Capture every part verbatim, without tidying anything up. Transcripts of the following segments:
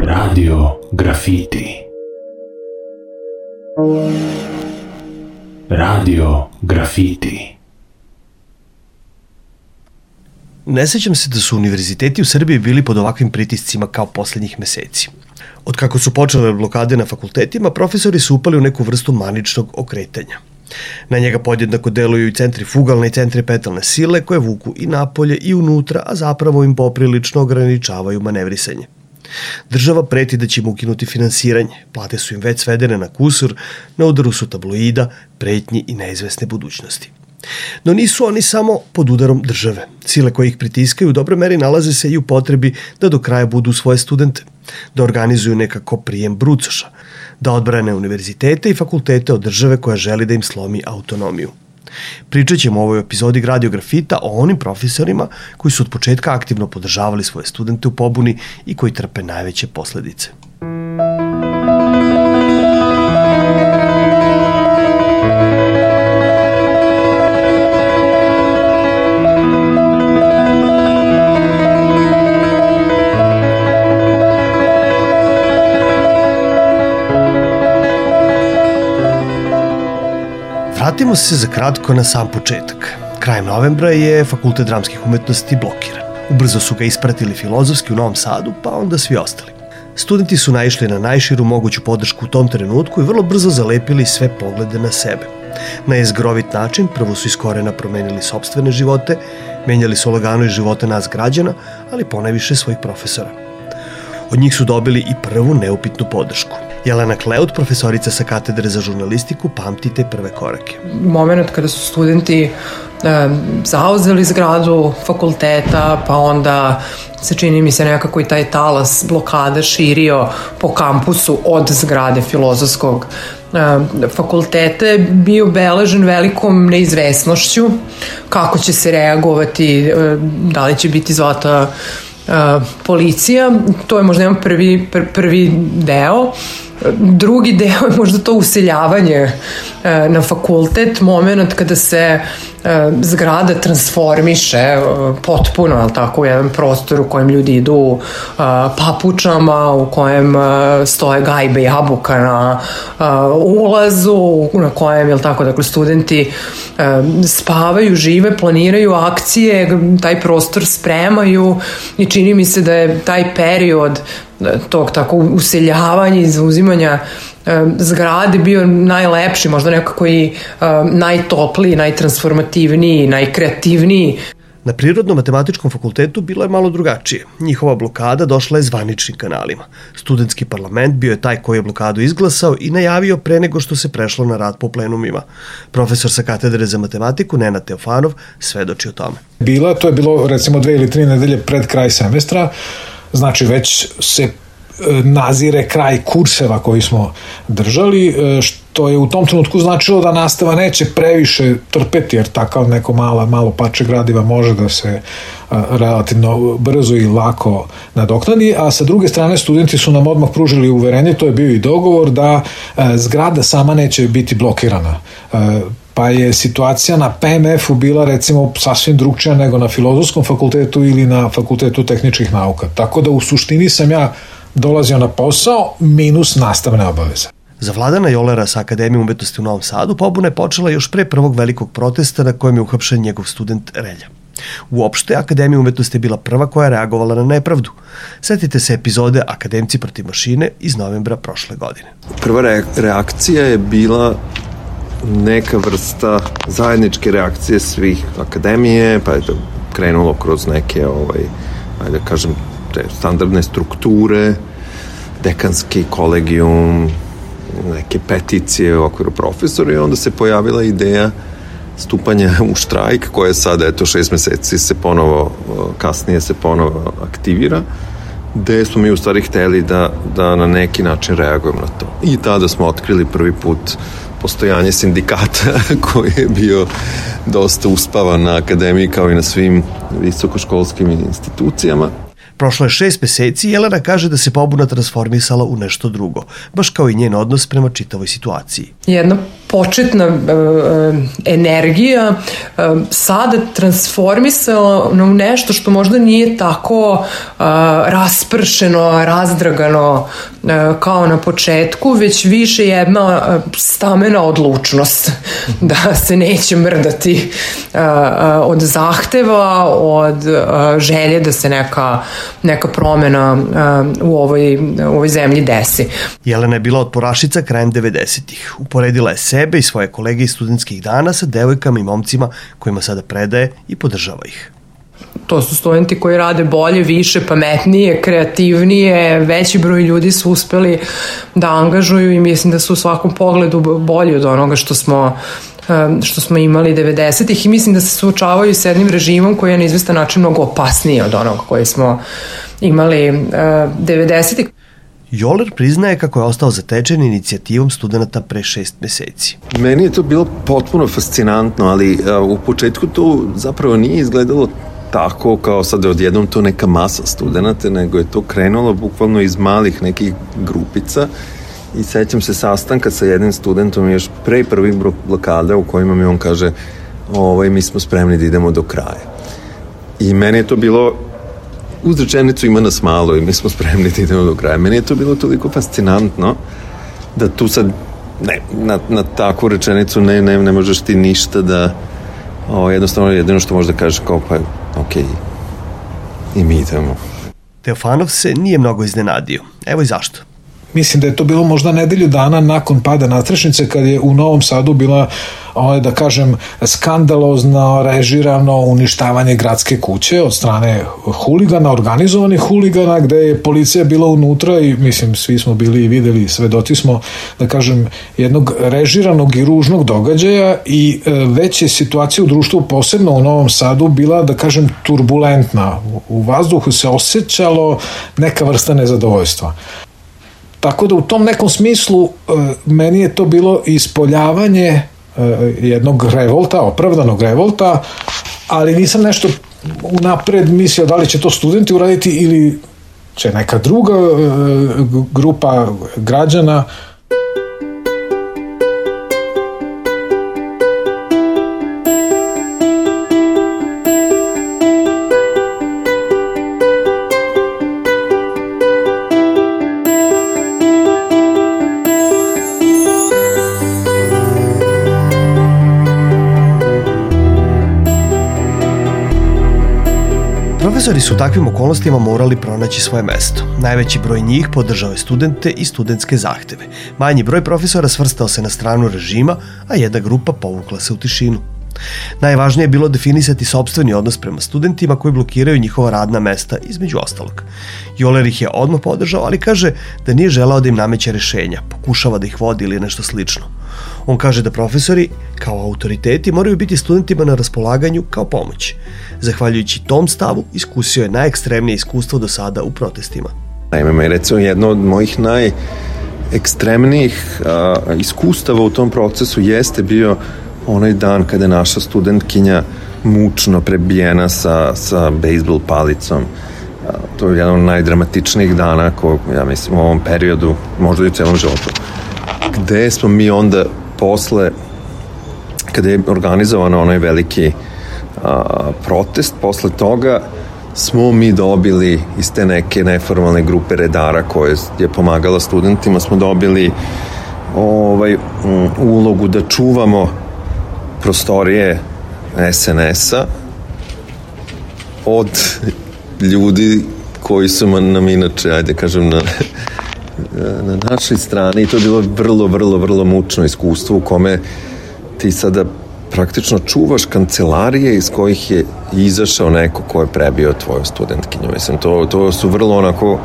Radio Grafiti. Radio Grafiti. Ne sećam se da su univerziteti u Srbiji bili pod ovakvim pritiscima kao poslednjih meseci. Od kako su počele blokade na fakultetima, profesori su upali u neku vrstu maničnog okretanja. Na njega podjednako deluju i centrifugalne i centripetalne sile koje vuku i napolje i unutra, a zapravo im poprilično ograničavaju manevrisanje. Država preti da će im ukinuti finansiranje, plate su im već svedene na kusur, na udaru su tabloida, pretnji i neizvesne budućnosti. No nisu oni samo pod udarom države. Sile koje ih pritiskaju u dobroj meri nalaze se i u potrebi da do kraja budu svoje studente, da organizuju nekako prijem brucoša, da odbrane univerzitete i fakultete od države koja želi da im slomi autonomiju. Pričat ćemo u ovoj epizodi Radio Grafita o onim profesorima koji su od početka aktivno podržavali svoje studente u pobuni i koji trpe najveće posledice. Vratimo se za kratko na sam početak. Krajem novembra je Fakultet dramskih umetnosti blokiran. Ubrzo su ga ispratili Filozofski u Novom Sadu, pa onda svi ostali. Studenti su naišli na najširu moguću podršku u tom trenutku i vrlo brzo zalepili sve poglede na sebe. Na jezgrovit način prvo su iz korena promenili sopstvene živote, menjali su lagano i živote nas građana, ali ponajviše svojih profesora. Od njih su dobili i prvu neupitnu podršku. Jelena Kleut, profesorica sa katedre za žurnalistiku, pamti te prve korake. Moment kada su studenti e, zauzeli zgradu fakulteta, pa onda se čini mi se nekako i taj talas blokada širio po kampusu od zgrade Filozofskog e, fakulteta, je bio obeležen velikom neizvesnošću kako će se reagovati, e, da li će biti zvata Uh, policija. To je možda jedan prvi, pr, prvi deo. Drugi deo je možda to useljavanje uh, na fakultet, moment kada se uh, zgrada transformiše uh, potpuno, ali tako, u jedan prostor u kojem ljudi idu uh, papučama, u kojem uh, stoje gajbe jabuka na uh, ulazu, na kojem, jel tako, dakle, studenti uh, spavaju, žive, planiraju akcije, taj prostor spremaju i čini mi se da je taj period tog tako useljavanja i zauzimanja e, zgrade bio najlepši, možda nekako i e, najtopliji, najtransformativniji, najkreativniji. Na Prirodno-matematičkom fakultetu bilo je malo drugačije. Njihova blokada došla je zvaničnim kanalima. Studentski parlament bio je taj koji je blokadu izglasao i najavio pre nego što se prešlo na rad po plenumima. Profesor sa katedre za matematiku, Nenad Teofanov, svedoči o tome. Bila, to je bilo recimo dve ili tri nedelje pred kraj semestra, znači već se nazire kraj kurseva koji smo držali, što je u tom trenutku značilo da nastava neće previše trpeti, jer takav neko mala, malo parče gradiva može da se relativno brzo i lako nadoknadi, a sa druge strane studenti su nam odmah pružili uverenje, to je bio i dogovor, da zgrada sama neće biti blokirana. Pa je situacija na P M F-u bila recimo sasvim drugčija nego na Filozofskom fakultetu ili na Fakultetu tehničkih nauka. Tako da u suštini sam ja dolazio na posao minus nastavne obaveze. Za Vladana Jolera sa Akademije umetnosti u Novom Sadu pobuna je počela još pre prvog velikog protesta na kojem je uhapšen njegov student Relja. Uopšte, Akademija umetnosti je bila prva koja je reagovala na nepravdu. Setite se epizode Akademci protiv mašine iz novembra prošle godine. Prva re- reakcija je bila neka vrsta zajedničke reakcije svih akademije, pa je to krenulo kroz neke, ovaj, ajde da kažem, te standardne strukture, dekanski kolegijum, neke peticije u okviru profesora, i onda se pojavila ideja stupanja u štrajk, koja je sada, eto, šest meseci se ponovo, kasnije se ponovo aktivira, gde smo mi u stvari hteli da, da na neki način reagujemo na to. I tada smo otkrili prvi put postojanje sindikata koji je bio dosta uspavan na akademiji kao i na svim visokoškolskim institucijama. Prošlo je šest meseci i Jelena kaže da se pobuna transformisala u nešto drugo, baš kao i njen odnos prema čitavoj situaciji. Jedna početna e, energija e, sada transformisala u nešto što možda nije tako e, raspršeno, razdragano e, kao na početku, već više jedna e, stamena odlučnost da se neće mrdati e, e, od zahteva, od e, želje da se neka, neka promena e, u, ovoj, u ovoj zemlji desi. Jelena je bila otporašica krajem devedesetih. Uporedila je sebe i svoje kolege iz studentskih dana sa devojkama i momcima kojima sada predaje i podržava ih. To su studenti koji rade bolje, više, pametnije, kreativnije, veći broj ljudi su uspeli da angažuju i mislim da su u svakom pogledu bolji od onoga što smo što smo imali devedesetih i mislim da se suočavaju s jednim režimom koji je na izvestan način mnogo opasniji od onoga koji smo imali devedesetih. Joler priznaje kako je ostao zatečen inicijativom studenta pre šest meseci. Meni je to bilo potpuno fascinantno, ali a, u početku to zapravo nije izgledalo tako kao sad odjednom to neka masa studenta, nego je to krenulo bukvalno iz malih nekih grupica i sećam se sastanka sa jednim studentom još pre prvih blokada u kojima mi on kaže ovaj, mi smo spremni da idemo do kraja. I meni je to bilo uz rečenicu ima nas malo i mi smo spremni da idemo do kraja. Meni je to bilo toliko fascinantno da tu sad ne, na, na takvu rečenicu ne, ne, ne možeš ti ništa da o, jednostavno jedino što možeš da kažeš kao pa ok, i mi idemo. Teofanov se nije mnogo iznenadio. Evo i zašto. Mislim da je to bilo možda nedelju dana nakon pada Nastrešnice kad je u Novom Sadu bila, da kažem, skandalozno režirano uništavanje gradske kuće od strane huligana, organizovanih huligana, gde je policija bila unutra i mislim svi smo bili i videli, svedoci smo, da kažem, jednog režiranog i ružnog događaja i već je situacija u društvu, posebno u Novom Sadu, bila, da kažem, turbulentna. U vazduhu se osjećalo neka vrsta nezadovoljstva. Tako da u tom nekom smislu meni je to bilo ispoljavanje jednog revolta, opravdanog revolta, ali nisam nešto unapred mislio da li će to studenti uraditi ili će neka druga grupa građana. Profesori su u takvim okolnostima morali pronaći svoje mesto. Najveći broj njih podržao je studente i studentske zahteve. Manji broj profesora svrstao se na stranu režima, a jedna grupa povukla se u tišinu. Najvažnije je bilo definisati sopstveni odnos prema studentima koji blokiraju njihova radna mesta, između ostalog. Joler ih je odmah podržao, ali kaže da nije želao da im nameće rešenja, pokušava da ih vodi ili nešto slično. On kaže da profesori, kao autoriteti, moraju biti studentima na raspolaganju kao pomoć. Zahvaljujući tom stavu, iskusio je najekstremnije iskustvo do sada u protestima. Naime, recimo, jedno od mojih najekstremnijih a, iskustava u tom procesu jeste bio onaj dan kada je naša studentkinja mučno prebijena sa, sa bejsbol palicom. A, to je jedan od najdramatičnijih dana ko, ja mislim, u ovom periodu, možda i u celom životu. Gde smo mi onda posle, kada je organizovan onaj veliki a, protest, posle toga smo mi dobili iz te neke neformalne grupe redara koje je pomagala studentima, smo dobili ovaj, um, ulogu da čuvamo prostorije es en es-a od ljudi koji su nam inače, ajde kažem, na, na našoj strani. I to je bilo vrlo, vrlo, vrlo mučno iskustvo u kome ti sada praktično čuvaš kancelarije iz kojih je izašao neko ko je prebio tvoju studentkinju. Mislim, to, to su vrlo onako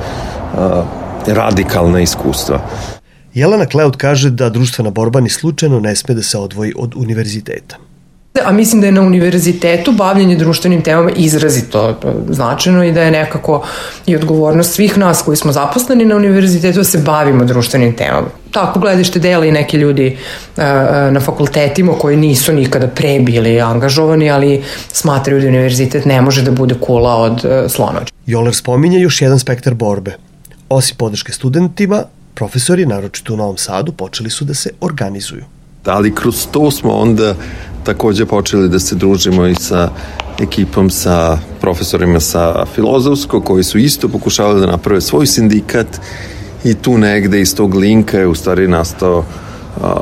a, radikalna iskustva. Jelena Kleut kaže da društvena borba ni slučajno ne sme da se odvoji od univerziteta. A mislim da je na univerzitetu bavljanje društvenim temama izrazito značajno i da je nekako i odgovornost svih nas koji smo zaposleni na univerzitetu da se bavimo društvenim temama. Tako gledište dela i neki ljudi na fakultetima koji nisu nikada pre bili angažovani, ali smatraju da univerzitet ne može da bude kula od slonođa. Joler spominje još jedan spektar borbe. Osim podrške studentima, profesori, naročito u Novom Sadu, počeli su da se organizuju. ali kroz to smo onda takođe počeli da se družimo i sa ekipom, sa profesorima sa filozofskog, koji su isto pokušavali da naprave svoj sindikat, i tu negde iz tog linka je u stvari nastao a,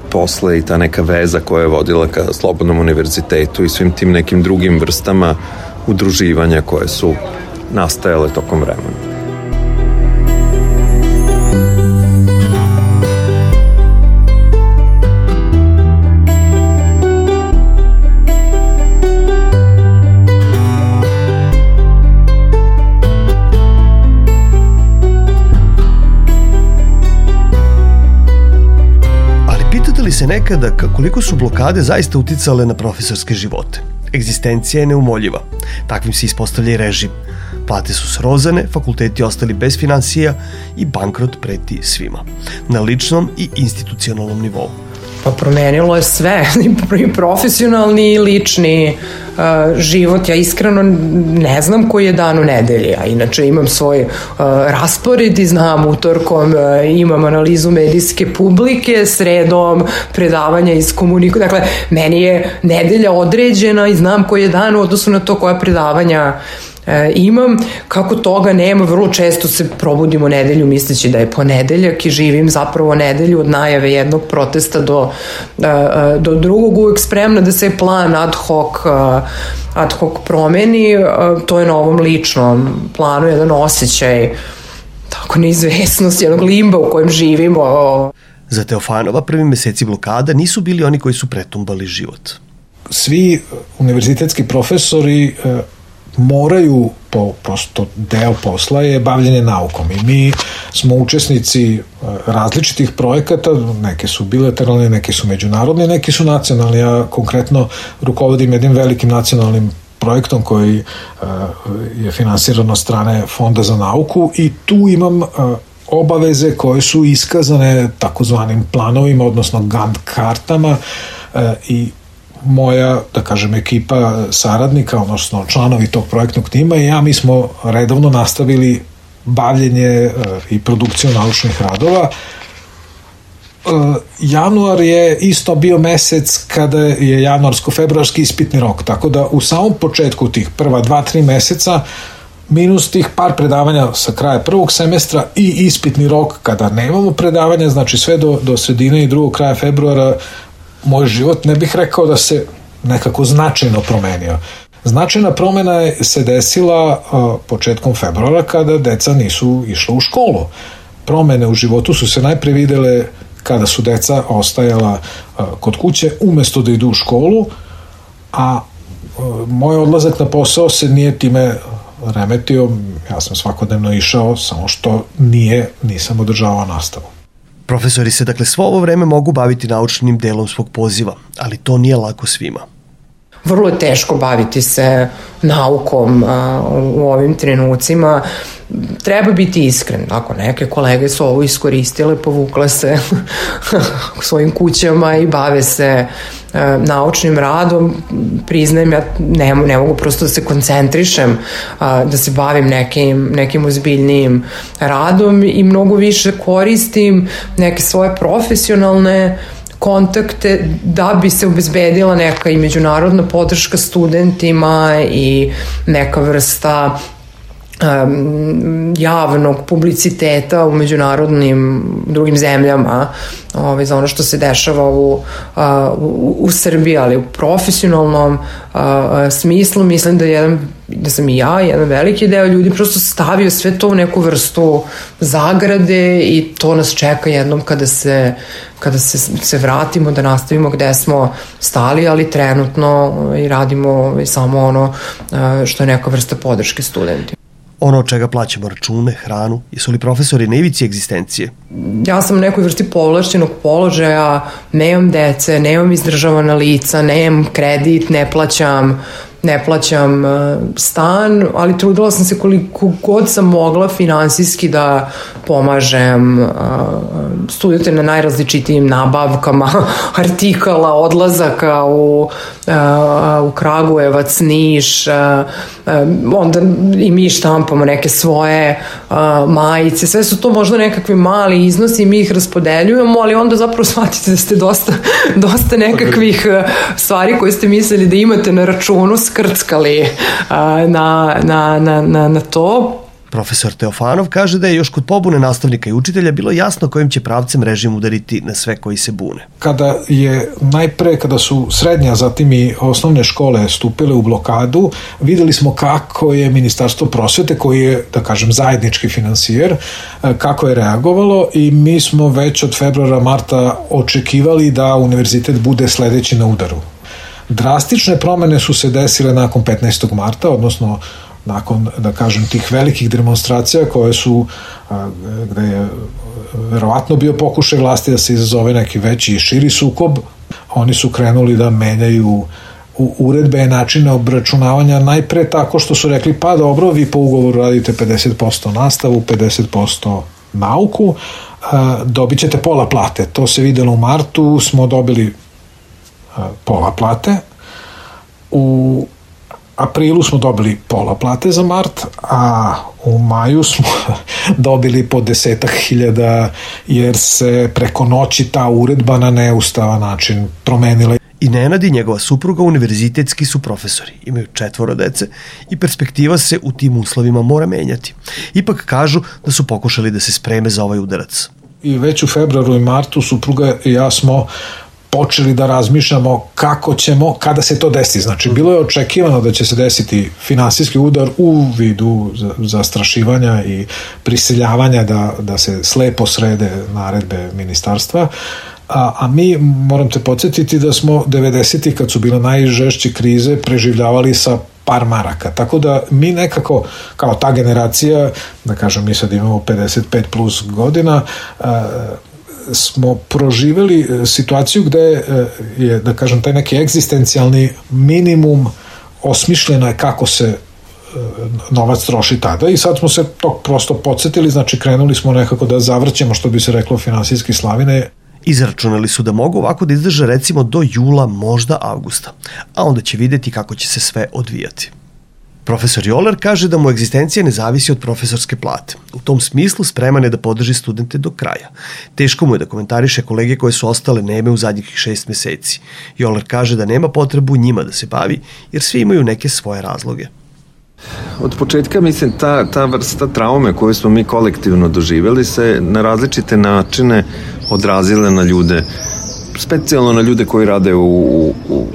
posle i ta neka veza koja je vodila ka Slobodnom univerzitetu i svim tim nekim drugim vrstama udruživanja koje su nastajale tokom vremena. Se nekada koliko su blokade zaista uticale na profesorske živote. Egzistencija je neumoljiva. Takvim se ispostavlja i režim. Plate su srozane, fakulteti ostali bez finansija i bankrot preti svima. Na ličnom i institucionalnom nivou. Pa promenilo je sve, i profesionalni i lični uh, život. Ja iskreno ne znam koji je dan u nedelji, a inače imam svoj uh, raspored i znam utorkom uh, imam analizu medijske publike, sredom predavanja iz komunikacije. Dakle, meni je nedelja određena i znam koji je dan u odnosu na to koja predavanja E, imam. Kako toga nema, vrlo često se probudimo nedelju misleći da je ponedeljak i živim zapravo nedelju od najave jednog protesta do, do drugog, uvek spremna da se plan ad hoc, ad hoc promeni. To je na ovom ličnom planu jedan osjećaj tako neizvesnosti, jednog limba u kojem živimo. Za Teofanova prvi meseci blokada nisu bili oni koji su pretumbali život. Svi univerzitetski profesori moraju, po prosto deo posla je bavljenje naukom, i mi smo učesnici različitih projekata, neke su bilateralne, neke su međunarodne, neke su nacionalne. Ja konkretno rukovodim jednim velikim nacionalnim projektom koji je finansiran od strane Fonda za nauku, i tu imam obaveze koje su iskazane takozvanim planovima, odnosno Gantt kartama, i moja, da kažem, ekipa saradnika, odnosno članovi tog projektnog tima i ja, mi smo redovno nastavili bavljenje i produkciju naučnih radova. Januar je isto bio mesec kada je januarsko-februarski ispitni rok, tako da u samom početku tih prva dva, tri meseca, minus tih par predavanja sa kraja prvog semestra i ispitni rok kada nemamo predavanja, znači sve do, do sredine i drugog kraja februara, moj život ne bih rekao da se nekako značajno promenio. Značajna promena je se desila uh, početkom februara kada deca nisu išla u školu. Promene u životu su se najpre videle kada su deca ostajala uh, kod kuće umesto da idu u školu, a uh, moj odlazak na posao se nije time remetio. Ja sam svakodnevno išao, samo što nije, nisam održavao nastavu. Profesori se dakle svo ovo vreme mogu baviti naučnim delom svog poziva, ali to nije lako svima. Vrlo je teško baviti se naukom a, u ovim trenucima. Treba biti iskren. Ako neke kolege su ovo iskoristile, povukle se u svojim kućama i bave se a, naučnim radom, priznajem, ja ne, ne mogu prosto da se koncentrišem, a, da se bavim nekim, nekim ozbiljnijim radom i mnogo više koristim neke svoje profesionalne kontakte da bi se obezbedila neka i međunarodna podrška studentima i neka vrsta um, javnog publiciteta u međunarodnim drugim zemljama, ovaj, za ono što se dešava u, uh, u, u Srbiji, ali u profesionalnom uh, smislu mislim da, jedan, da sam i ja, jedan veliki deo ljudi prosto stavio sve to u neku vrstu zagrade i to nas čeka jednom kada se kada se, se vratimo da nastavimo gde smo stali, ali trenutno i radimo samo ono što je neka vrsta podrške studentima. Ono od čega plaćamo račune, hranu, jesu li profesori na ivici egzistencije? Ja sam u nekoj vrsti povlašćenog položaja, nemam dece, nemam izdržavana lica, nemam kredit, ne plaćam ne plaćam stan, ali trudila sam se koliko god sam mogla finansijski da pomažem studente na najrazličitijim nabavkama artikala, odlazaka u, u Kragujevac, Niš, onda i mi štampamo neke svoje majice, sve su to možda nekakvi mali iznosi i mi ih raspodeljujemo, ali onda zapravo shvatite da ste dosta, dosta nekakvih stvari koje ste mislili da imate na računu skrckali na, na, na, na, na to. Profesor Teofanov kaže da je još kod pobune nastavnika i učitelja bilo jasno kojim će pravcem režim udariti na sve koji se bune. Kada je najpre, kada su srednja, zatim i osnovne škole stupile u blokadu, videli smo kako je Ministarstvo prosvete, koji je, da kažem, zajednički finansijer, kako je reagovalo i mi smo već od februara, marta očekivali da univerzitet bude sledeći na udaru. Drastične promene su se desile nakon petnaestog marta, odnosno nakon, da kažem, tih velikih demonstracija koje su, gde je verovatno bio pokušaj vlasti da se izazove neki veći i širi sukob. Oni su krenuli da menjaju uredbe i načine obračunavanja najpre tako što su rekli pa dobro, vi po ugovoru radite pedeset posto nastavu, pedeset posto nauku, dobit ćete pola plate. To se videlo u martu, smo dobili pola plate. U aprilu smo dobili pola plate za mart, a u maju smo dobili po desetak hiljada jer se preko noći ta uredba na neustavan način promenila. I Nenad i njegova supruga univerzitetski su profesori, imaju četvoro dece i perspektiva se u tim uslovima mora menjati. Ipak kažu da su pokušali da se spreme za ovaj udarac. I već u februaru i martu supruga i ja smo počeli da razmišljamo kako ćemo, kada se to desi. Znači, bilo je očekivano da će se desiti finansijski udar u vidu zastrašivanja i prisiljavanja da, da se slepo srede naredbe ministarstva. A, a mi, moram te podsjetiti da smo devedesetih, kad su bile najžešće krize, preživljavali sa par maraka. Tako da mi nekako, kao ta generacija, da kažem, mi sad imamo pedeset pet plus godina, a, smo proživjeli situaciju gde je, da kažem, taj neki egzistencijalni minimum osmišljeno je kako se novac troši tada i sad smo se to prosto podsjetili, znači krenuli smo nekako da zavrćemo, što bi se reklo, finansijski slavine. Izračunali su da mogu ovako da izdrže recimo do jula, možda avgusta, a onda će videti kako će se sve odvijati. Profesor Joler kaže da mu egzistencija ne zavisi od profesorske plate. U tom smislu spreman je da podrži studente do kraja. Teško mu je da komentariše kolege koje su ostale neme u zadnjih šest meseci. Joler kaže da nema potrebu njima da se bavi, jer svi imaju neke svoje razloge. Od početka, mislim, ta, ta vrsta traume koju smo mi kolektivno doživjeli se na različite načine odrazile na ljude, specijalno na ljude koji rade u, u, u,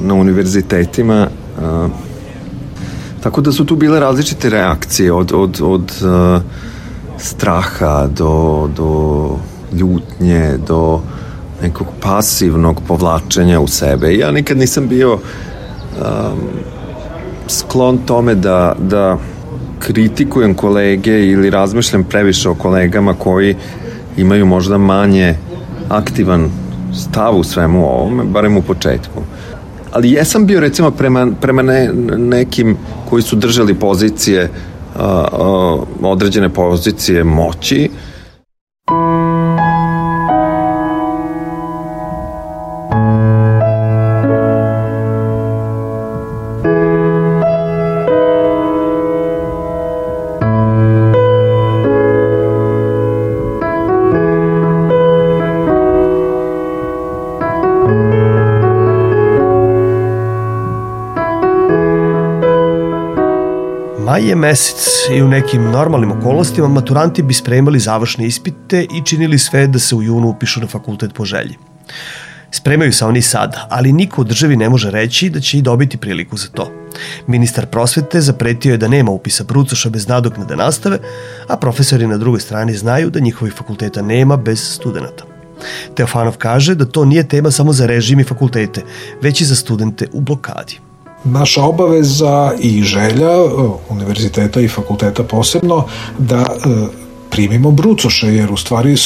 na univerzitetima. A, tako da su tu bile različite reakcije od, od, od a, straha do, do ljutnje, do nekog pasivnog povlačenja u sebe. Ja nikad nisam bio a, sklon tome da, da kritikujem kolege ili razmišljam previše o kolegama koji imaju možda manje aktivan stav u svemu ovome, barem u početku. Ali jesam bio recimo prema, prema ne, nekim koji su držali pozicije, a, a, određene pozicije moći. Maj je mesec i u nekim normalnim okolnostima maturanti bi spremali završne ispite i činili sve da se u junu upišu na fakultet po želji. Spremaju se oni sada, ali niko u državi ne može reći da će i dobiti priliku za to. Ministar prosvete zapretio je da nema upisa brucoša bez nadoknade nastave, a profesori na drugoj strani znaju da njihovih fakulteta nema bez studenata. Teofanov kaže da to nije tema samo za režim i fakultete, već i za studente u blokadi. Naša obaveza i želja univerziteta i fakulteta posebno da primimo brucoše, jer u stvari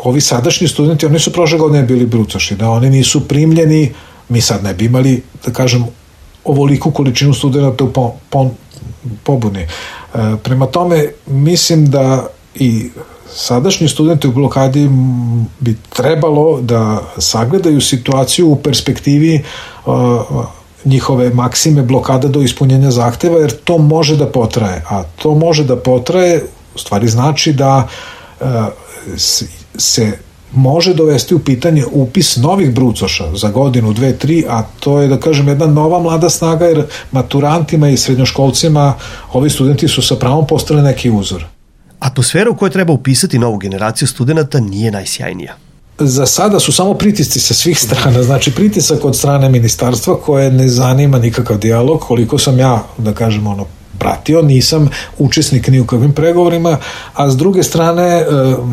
ovi sadašnji studenti, oni su prošle godine bili brucoši, da oni nisu primljeni, mi sad ne bi imali, da kažem, ovoliku količinu studenta u po, po, pobuni. E, prema tome, mislim da i sadašnji studenti u blokadi bi trebalo da sagledaju situaciju u perspektivi uh, njihove maksime blokada do ispunjenja zahteva, jer to može da potraje, a to može da potraje u stvari znači da uh, se može dovesti u pitanje upis novih brucoša za godinu, dve, tri, a to je, da kažem, jedna nova mlada snaga, jer maturantima i srednjoškolcima ovi studenti su sa pravom postali neki uzor. Atmosfera u kojoj treba upisati novu generaciju studenta nije najsjajnija. Za sada su samo pritisci sa svih strana, znači pritisak od strane ministarstva koje ne zanima nikakav dijalog, koliko sam ja, da kažem, ono, pratio, nisam učesnik ni u kakvim pregovorima, a s druge strane,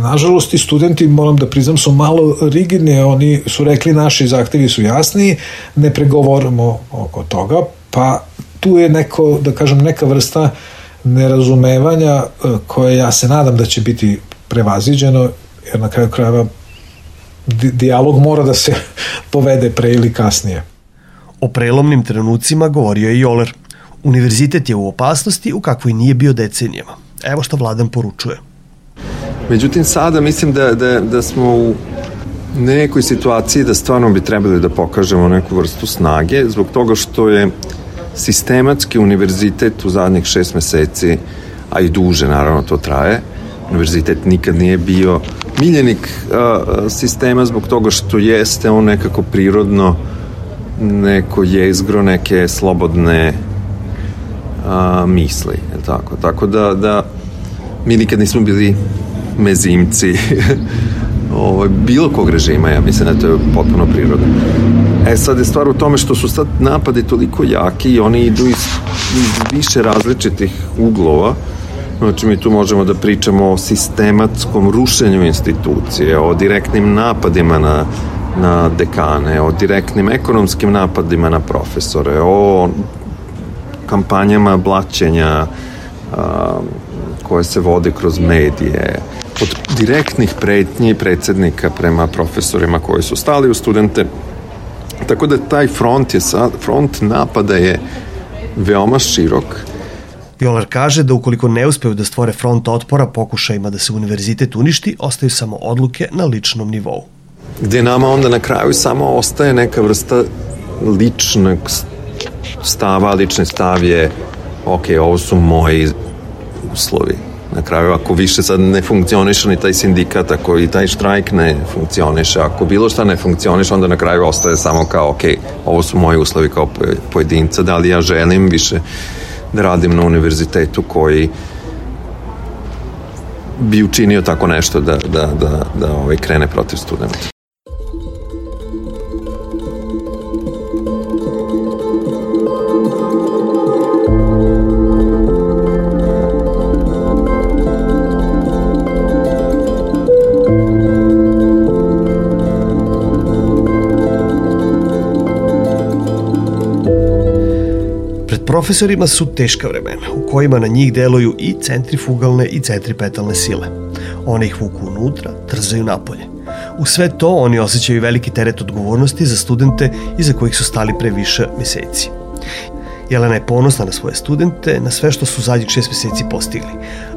nažalost, i studenti, moram da priznam, su malo rigidni, oni su rekli naši zahtevi su jasni, ne pregovorimo oko toga, pa tu je neko, da kažem, neka vrsta nerazumevanja koje ja se nadam da će biti prevaziđeno, jer na kraju krajeva dijalog mora da se povede pre ili kasnije. O prelomnim trenucima govorio je Joler. Univerzitet je u opasnosti u kakvoj nije bio decenijama. Evo što Vladan poručuje. Međutim, sada mislim da, da, da smo u nekoj situaciji da stvarno bi trebali da pokažemo neku vrstu snage, zbog toga što je sistematski univerzitet u zadnjih šest meseci, a i duže naravno to traje, univerzitet nikad nije bio miljenik a, sistema zbog toga što jeste on nekako prirodno neko jezgro neke slobodne a, misli, je tako? Tako da, da mi nikad nismo bili mezimci ovo, bilo kog režima, ja mislim da to je potpuno prirodno. E sad je stvar u tome što su sad napadi toliko jaki i oni idu iz, iz više različitih uglova. Znači mi tu možemo da pričamo o sistematskom rušenju institucije, o direktnim napadima na, na dekane, o direktnim ekonomskim napadima na profesore, o kampanjama blaćenja a, koje se vode kroz medije, od direktnih pretnji predsednika prema profesorima koji su stali u studente. Tako da taj front, je sad, front napada je veoma širok. Joler kaže da ukoliko ne uspeju da stvore front otpora pokušajima da se univerzitet uništi, ostaju samo odluke na ličnom nivou. Gde nama onda na kraju samo ostaje neka vrsta ličnog stava, lični stav je ok, ovo su moji uslovi. Na kraju, ako više sad ne funkcioniše ni taj sindikat, ako i taj štrajk ne funkcioniše, ako bilo šta ne funkcioniše, onda na kraju ostaje samo kao, ok, ovo su moji uslovi kao pojedinca, da li ja želim više da radim na univerzitetu koji bi učinio tako nešto da, da, da, da ovaj, krene protiv studenta. Profesorima su teška vremena, u kojima na njih deluju i centrifugalne i centripetalne sile. One ih vuku unutra, trzaju napolje. U sve to oni osjećaju veliki teret odgovornosti za studente iza kojih su stali pre više meseci. Jelena je ponosna na svoje studente, na sve što su zadnjih šest meseci postigli,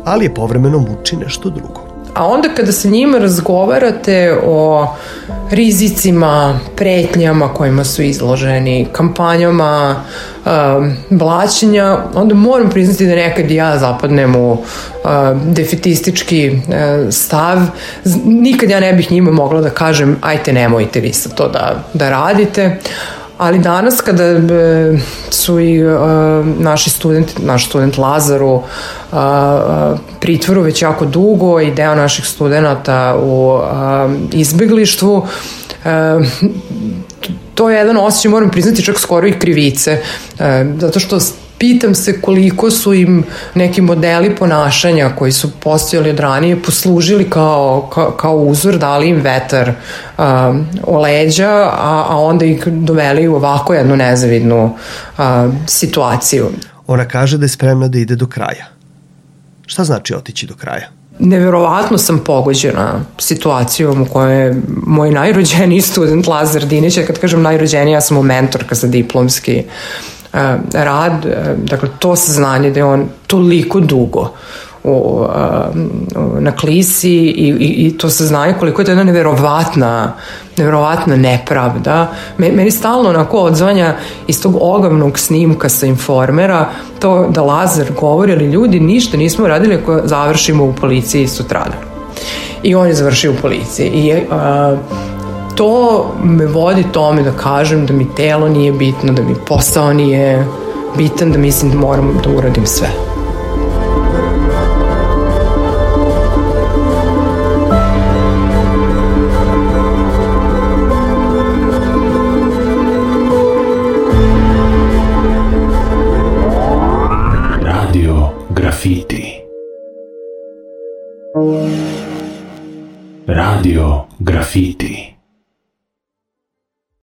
ali je povremeno muči nešto drugo. A onda kada sa njima razgovarate o rizicima, pretnjama kojima su izloženi, kampanjama, um, blaćenja, onda moram priznati da nekad i ja zapadnem u uh, defetistički uh, stav. Nikad ja ne bih njima mogla da kažem ajte nemojte vi sad to da, da radite. Ali danas kada e, su i e, naši studenti, naš student Lazar u e, pritvoru već jako dugo i deo naših studenta u e, izbeglištvu, e, to je jedan osjećaj, moram priznati, čak skoro i krivice, e, zato što pitam se koliko su im neki modeli ponašanja koji su postojali od ranije poslužili kao, kao, kao uzor, dali im vetar um, o leđa, a, a onda ih doveli u ovako jednu nezavidnu um, situaciju. Ona kaže da je spremna da ide do kraja. Šta znači otići do kraja? Neverovatno sam pogođena situacijom u kojoj je moj najrođeniji student Lazar Dinić, kad kažem najrođeniji, ja sam mu mentorka za diplomski rad, dakle to saznanje da je on toliko dugo u, na klisi i, i, i to saznanje koliko je to jedna neverovatna neverovatna nepravda. Meni stalno onako odzvanja iz tog ogavnog snimka sa Informera to da Lazar govori, ali ljudi ništa nismo radili ako završimo u policiji sutradan. I on je završio u policiji i a, to me vodi tome da kažem da mi telo nije bitno, da mi posao nije bitan, da mislim da moram da uradim sve. Radio Graffiti. Radio Graffiti.